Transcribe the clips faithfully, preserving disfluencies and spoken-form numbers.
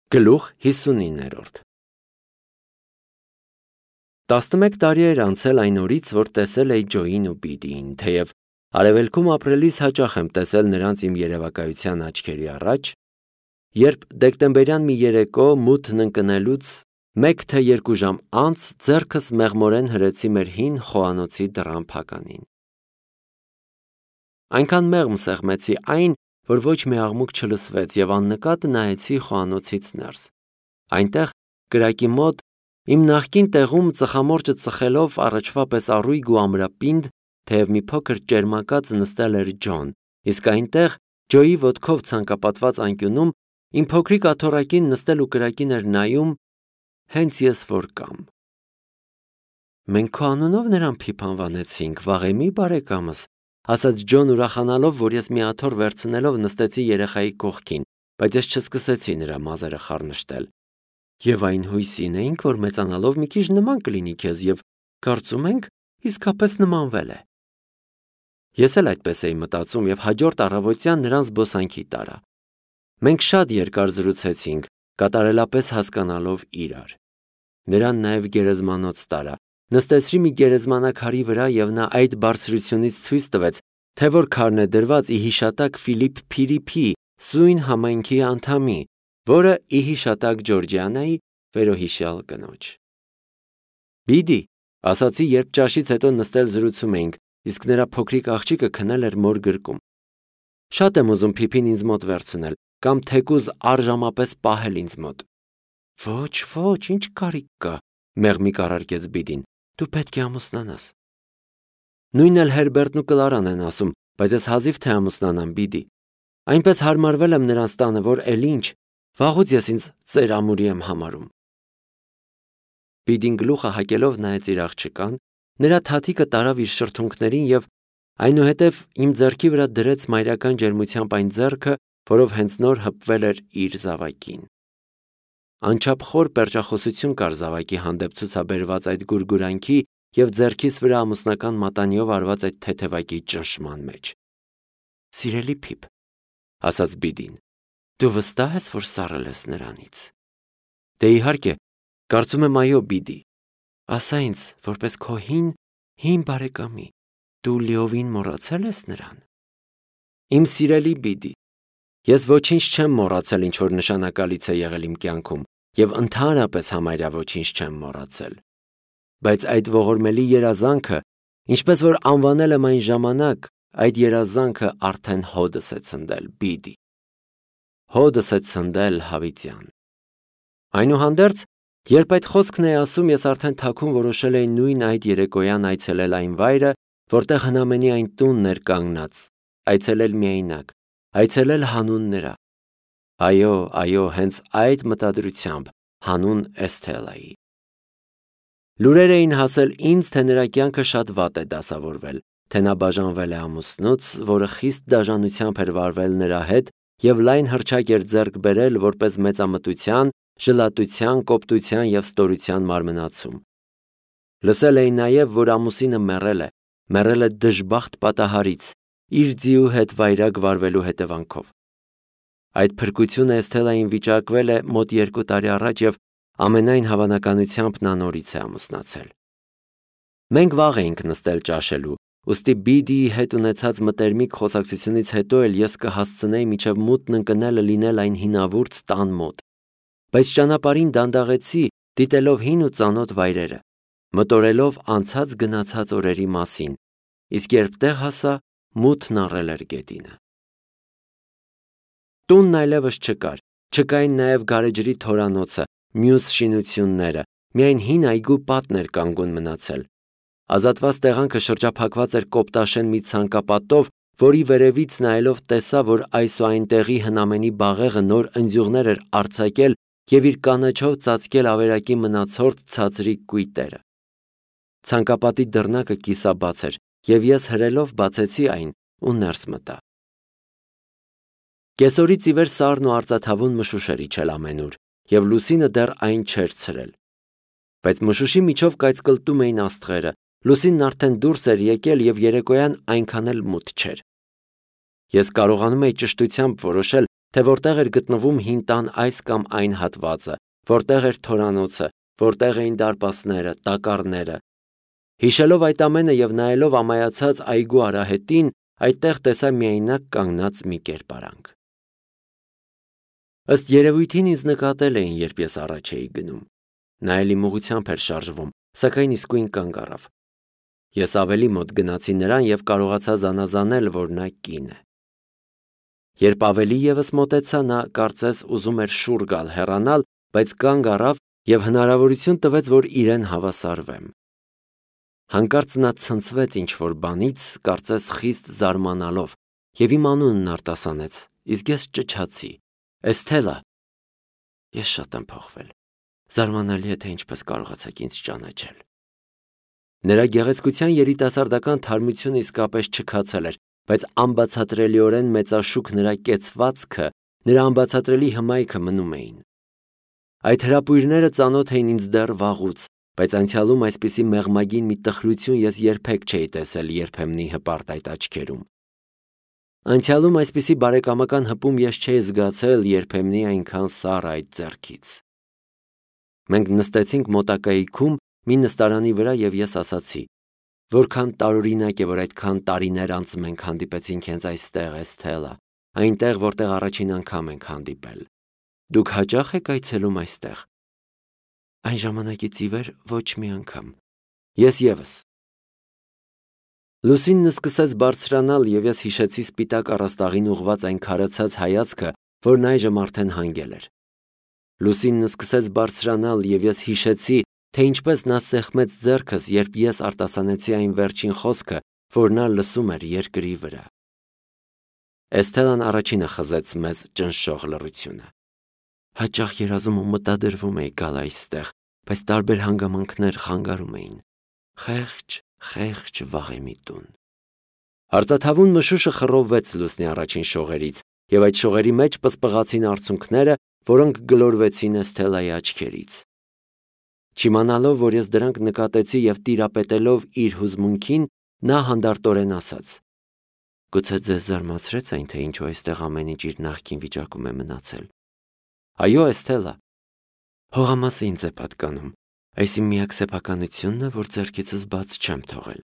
Գլուխ հիսունիններորդ տասնմեկ տարի էր անցել այն օրից, որ տեսել էի Ջոյին ու Բիդիին, թեև արևելքում ապրելիս հաճախ եմ տեսել նրանց իմ երևակայության աչքերի առաջ, երբ դեկտեմբերյան մի երեկո մութն ընկնելուց մեկ թե երկու ժամ անց ձեռքս մեղմորեն հրեցի մեր հին խոհանոցի դռան փականին։ Այնքան մեղմ սեղմեցի այն, որ ոչ մի աղմուկ չլսվեց և աննկատ նայեցի խոհանոցից ներս։ Այնտեղ կրակի մոտ իմ նախկին տեղում ծխամորճը ծխելով առաջվա պես առույգ ու ամրապինդ, թեև մի փոքր ճերմակած նստել էր Ջոն, իսկ այնտեղ Ջոյի ոտքով ցանկապատված անկյունում իմ փոքրիկ աթոռակին նստել ու կրակին էր նայում հենց ես որ կամ։ Մենք քո անունով նրան փիփանվանեցինք, վաղեմի բարեկամս, ասաց Ջոն ուրախանալով, որ ես մի աթոռ վերցնելով նստեցի երեխայի կողքին, բայց ես չսկսեցի նրա մազերը խառնշտել։ Եվ այն հույսին էինք, որ մեծանալով մի քիչ նման կլինի քեզ և կարծում ենք իսկապես նմանվել է։ Ես էլ այդպես էի մտածում և հաջորդ առավոտյան նրան զբոսանքի տարա։ Մենք շատ երկար զրուցեցինք, կատարելապես հասկանալով իրար։ Նրան նաև գերեզմանոց տարա, նստեցրի մի գերեզմանակարի վրա և նա այդ բարձրությունից ցույց տվեց, թե որ քարն է դրված ի հիշատակ Ֆիլիպ Փիրիփի սույն համայնքի անդամի, որը ի հիշատակ Ջորջիանայի վերոհիշյալ կնոջ։ Բիդի, ասացի, երբ ճաշից հետո նստել զրուցում էինք, իսկ նրա փոքրիկ աղջիկը քնել էր մոր գրկում։ Շատ եմ ուզում Փիփին ինձ մոտ վերցնել, կամ թեկուզ առժամապես պահել ինձ մոտ։ Ոչ, ոչ, ինչ կարիք կա, մեղմիկ առարկեց Բիդին, դու պետք է ամուսնանաս։ Նույնն էլ Հերբերտն ու Կլարան են ասում, բայց ես հազիվ թե ամուսնանամ, Բիդի։ Այնպես հարմարվել եմ նրանց տանը, որ էլ ինչ, վաղուց ես ինձ ծեր ամուրի եմ համարում։ Բիդին գլուխը հակելով նայեց իր աղջկան, նրա թաթիկը տարավ իր շրթունքներին և այնուհետև իմ ձեռքի վրա դրեց մայրական ջերմությամբ այն ձեռքը, որով հենց նոր հպվել էր իր զավակին։ Անչափ խոր պերճախոսություն կար զավակի հանդեպ ցուցաբերված այդ գուրգուրանքի և ձեռքիս վրա ամուսնական մատանիով արված այդ թեթևակի ճնշման մեջ։ Սիրելի Փիփ, ասաց Բիդին, դու վստահ ես, որ սառել ես նրանից։ Դե իհարկե, կարծում եմ այո, Բիդի, ասա ինձ, որպես քո հին, հին բարեկամի, դու լիովին մոռացել ես նրան։ Իմ սիրելի Բիդի, ես ոչինչ չեմ մոռացել, ինչ որ նշանակալից է եղել իմ կյանքում, և ընդհանրապես համարյա ոչինչ չեմ մոռացել։ Բայց այդ ողորմելի երազանքը, ինչպես որ անվանել եմ այն ժամանակ, այդ երազանքը արդեն հոդս է ցնդել, Բիդի։ Հոդս է ցնդել, հավիտյան։ Այնուհանդերձ, երբ այդ խոսքն էի ասում, ես արդեն թաքուն որոշել էի նույն այդ երեկոյան այցելել այն վայրը, որտեղ հնամենի այն տունն էր կանգնած, այցելել միայնակ, այցելել հանուն նրա։ Այո, այո, հենց այդ մտադրությամբ, հանուն Էսթելայի։ Լուրեր էին հասել ինձ, թե նրա կյանքը շատ վատ է դասավորվել, թե նա բաժանվել է ամուսնուց, որը խիստ դաժանությամբ էր վարվել նրա հետ և լայն հռչակ էր ձեռք բերել որպես մեծամտության, ժլատության, կոպտության և ստորության մարմնացում։ Լսել էի նաև, որ ամուսինը մեռել է, մեռել է դժբախտ պատահարից, իր ձիու հետ վայրագ վարվելու հետևանքով։ Այդ փրկությունը Էսթելային վիճակվել է մոտ երկու տարի առաջ և ամենայն հավանականությամբ նա նորից է ամուսնացել։ Մենք վաղ էինք նստել ճաշելու, ուստի Բիդիի հետ ունեցած մտերմիկ խոսակցությունից հետո էլ ես կհասցնեի մինչև մութն ընկնելը լինել այն հինավուրց տան մոտ։ Բայց ճանապարհին դանդաղեցի, դիտելով հին ու ծանոթ վայրերը, մտորելով անցած գնացած օրերի մասին, իսկ երբ տեղ հասա, մութն առել էր գետինը։ Տունն այլևս չկար, չկային նաև գարեջրի թորանոցը, մյուս շինությունները, միայն հին այգու պատն էր կանգուն մնացել։ Ազատված տեղանքը շրջափակված էր կոպտաշեն մի ցանկապատով, որի վերևից նայելով տեսա, որ այս ու այնտեղի հնամենի բաղեղը նոր ընձյուղներ էր արձակել և իր կանաչով ծածկել ավերակի մնացորդ ցածրիկ կույտերը։ Ցանկապատի դռնակը կիսաբաց էր, և ես հրելով բացեցի այն ու ներս մտա։ Կեսօրից ի վեր սառն ու արծաթավուն մշուշ էր իջել ամենուր, և լուսինը դեռ այն չէր ցրել։ Բայց մշուշի միջով կայծկլտում էին աստղերը, լուսինն արդեն դուրս էր եկել և երեկոյան այնքան էլ մութ չէր։ Ես կարողանում էի ճշտությամբ որոշել, թե որտեղ էր գտնվում հին տան այս կամ այն հատվածը, որտեղ էր թորանոցը, որտեղ էին դարպասները, տակառները։ Հիշելով այդ ամենը եւ նայելով ամայացած այգու արահետին, այդտեղ տեսա միայնակ կանգնած մի կերպարանք։ Ըստ երևույթին ինձ նկատել էին, երբ ես առաջ էի գնում։ Նա էլ իմ ուղղությամբ էր շարժվում, սակայն իսկույն կանգ առավ։ Ես ավելի մոտ գնացի նրան եւ կարողացա զանազանել, որ նա կին է։ Երբ ավելի ևս մոտեցա, նա կարծես ուզում էր շուռ գալ, հեռանալ, բայց կանգ առավ եւ հնարավորություն տվեց, որ իրեն հավասարվեմ։ Հանկարծ նա ցնցվեց ինչ-որ բանից, կարծես խիստ զարմանալով, եւ իմ անունն արտասանեց, իսկ ես ճչացի. Էսթելա։ Ես շատ եմ փոխվել։ Զարմանալի է, թե ինչպես կարողացաք ինձ ճանաչել։ Նրա գեղեցկության երիտասարդական թարմությունը իսկապես չքացել էր, բայց անբացատրելիորեն մեծաշուք նրա կեցվածքը, նրա անբացատրելի հմայքը մնում էին։ Այդ հրապույրները ծանոթ էին ինձ դեռ վաղուց, բայց անցյալում այսպիսի մեղմագին մի տխրություն ես երբեք չէի տեսել երբեմնի հպարտ այդ աչքերում։ Անցյալում այսպիսի բարեկամական հպում ես չէի զգացել երբեմնի այնքան սառ այդ ձեռքից։ Մենք նստեցինք մոտակայքում մի նստարանի վրա եւ ես ասացի, որքան տարօրինակ է, որ այդքան տարիներ անց մենք հանդիպեցինք հենց այստեղ, Էսթելա, այնտեղ, որտեղ առաջին անգամ ենք հանդիպել։ Դուք հաճախ եք այցելում այստեղ։ Այն ժամանակից ի վեր ոչ մի անգամ։ Ես ևս։ Լուսինն սկսեց բարձրանալ եւ ես հիշեցի սպիտակ առաստաղին ուղված այն քարացած հայացքը, որն այժմ արդեն հանգել էր։ Լուսինն սկսեց բարձրանալ եւ ես հիշեցի, թե ինչպես նա սեղմեց ձեռքս, երբ ես արտասանեցի այն վերջին խոսքը, որ նա լսում էր երկրի վրա։ Էսթելան առաջինը խզեց մեզ ճնշող լռությունը։ Հաճախ երազում ու մտադրվում էի գալ այստեղ, բայց տարբեր հանգամանքներ խանգարում էին։ Խեղճ, խեղճ վաղեմի տուն։ Արծաթավուն մշուշը խռովվեց լուսնի առաջին շողերից, եւ այդ շողերի մեջ պսպղացին արցունքները, որոնք գլորվեցին Էսթելայի աչքերից։ Չիմանալով, որ ես դրանք նկատեցի եւ տիրապետելով իր հուզմունքին, նա հանդարտորեն ասաց. Գուցե ձեզ զարմացրեց այն, թե ինչու այստեղ ամեն ինչ իր նախկին վիճակում է մնացել։ Այո, Էսթելա։ Հողամասը ինձ է պատկանում, այս իմ միակ սեփականությունն է, որ ձեռքիցս բաց չեմ թողել։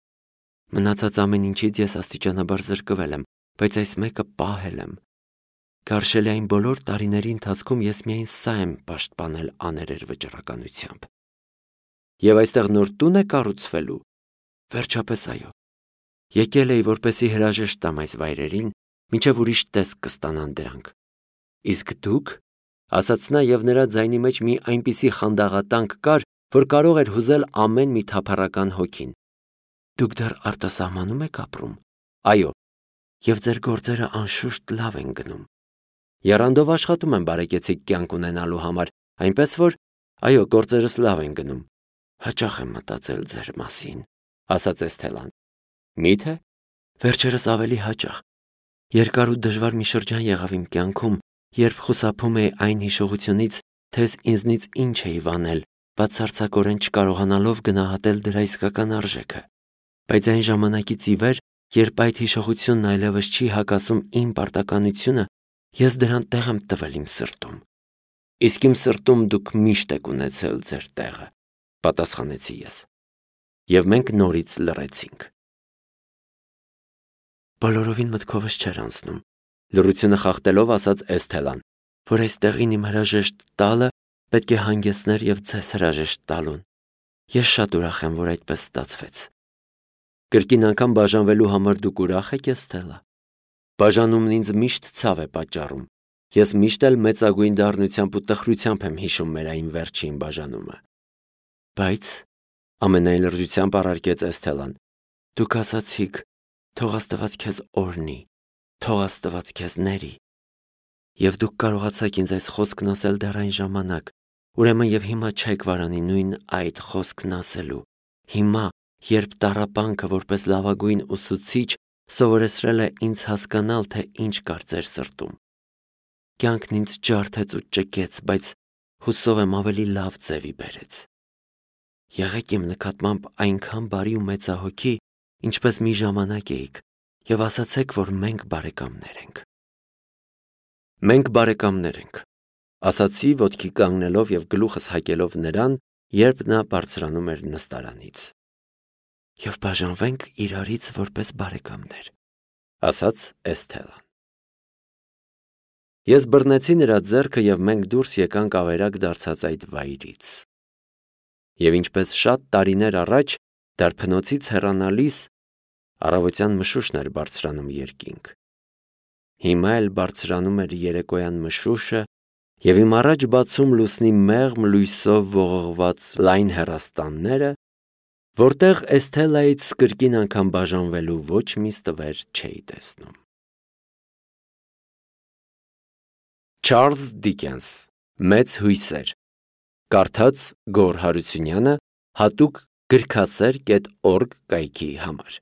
Մնացած ամեն ինչից ես աստիճանաբար զրկվել եմ, բայց այս մեկը պահել եմ։ Կարշելի այն բոլոր տարիների ընթացքում ես միայն սա եմ պաշտպանել աներեր վճռականությամբ։ Եվ այստեղ նոր տուն է կառուցվելու։ Վերջապես այո։ Եկել էի, որպեսի հրաժեշտ տամ այս վայրերին, մինչև ուրիշ տեսք կստանան դրանք։ Իսկ դուք, ասաց նա եւ նրա ձայնի մեջ մի այնպիսի խանդաղատանք կար, որ կարող էր հուզել ամեն մի թափառական հոգին։ Դուք դեռ արտասահմանում եք ապրում։ Այո։ Եվ ձեր գործերը անշուշտ լավ են գնում։ Եռանդով աշխատում եմ բարեկեցիկ կյանք ունենալու համար, այնպես որ, այո, գործերս լավ են գնում։ Հաճախ եմ մտածել ձեր մասին, ասաց Էսթելան։ Մի՞թե։ Վերջերս ավելի հաճախ։ Երկար ու դժվար մի շրջան եղավ իմ կյանքում, երբ խուսափում էի այն հիշողությունից, թե ես ինձնից ինչ էի վանել, բացարձակորեն չկարողանալով գնահատել դրա իսկական արժեքը։ Բայց այն ժամանակից ի վեր, երբ այդ հիշողությունն այլևս չի հակասում իմ պարտականությունը, ես դրան տեղ եմ տվել իմ սրտում։ Իսկ իմ սրտում դուք միշտ եք ունեցել ձեր տեղը, պատասխանեցի ես։ Եվ մենք նորից լռեցինք։ Բոլորովին մտքովս չէր անցնում, լռությունը խախտելով ասաց Էսթելան, որ այս տեղին իմ հրաժեշտ տալը պետք է հանգեցներ եւ ձեզ հրաժեշտ տալուն։ Ես շատ ուրախ եմ, որ այդպես ստացվեց։ Կրկին անգամ բաժանվելու համար դուք ուրախ եք, Էսթելա։ Բաժանումն ինձ միշտ ցավ է պատճառում։ Ես միշտ էլ մեծագույն դառնությամբ ու տխրությամբ եմ հիշում մեր այն վերջին բաժանումը։ Բայց ամենայն լրջությամբ առարկեց Էսթելան. Դուք ասացիք, թող Աստված քեզ օրհնի, թող Աստված քեզ ների։ Եվ դուք կարողացաք ինձ այս խոսքն ասել դեռ այն ժամանակ, ուրեմն եւ հիմա չեք վարանի նույն այդ խոսքն ասելու։ Հիմա, երբ տառապանքը որպես լավագույն ուսուցիչ սովորեցրել է ինձ հասկանալ, թե ինչ կար ձեր սրտում։ Կյանքն ինձ ջարդեց ու ճկեց, բայց հուսով եմ ավելի լավ ձևի բերեց։ Եղեք իմ նկատմամբ այնքան բարի ու մեծահոգի, ինչպես մի ժամանակ էիք, եւ ասացեք, որ մենք բարեկամներ ենք։ Մենք բարեկամներ ենք, ասացի ոտքի կանգնելով և գլուխս հակելով նրան, երբ նա բարձրանում էր նստարանից։ Եվ բաժանվենք իրարից որպես բարեկամներ, ասաց Էսթելան։ Ես բռնեցի նրա ձեռքը և մենք դուրս եկանք ավերակ դարձած այդ վայրից։ Եվ ինչպես շատ տարիներ առաջ դարբնոցից հեռանալիս առավոտյան մշուշն էր բարձրանում երկինք։ Հիմա էլ բարձրանում էր երեկոյան մշուշը և իմ առաջ բացում լուսնի մեղմ լույսով ողողված լայն հեռաստանները, որտեղ Էսթելայից կրկին անգամ բաժանվելու ոչ մի ստվեր չէի տեսնում։ Չարլզ Դիկենս «Մեծ հույսեր», կարդաց Գոռ Հարությունյանը, հատուկ գրքասեր կետ օրգ կայքի համար։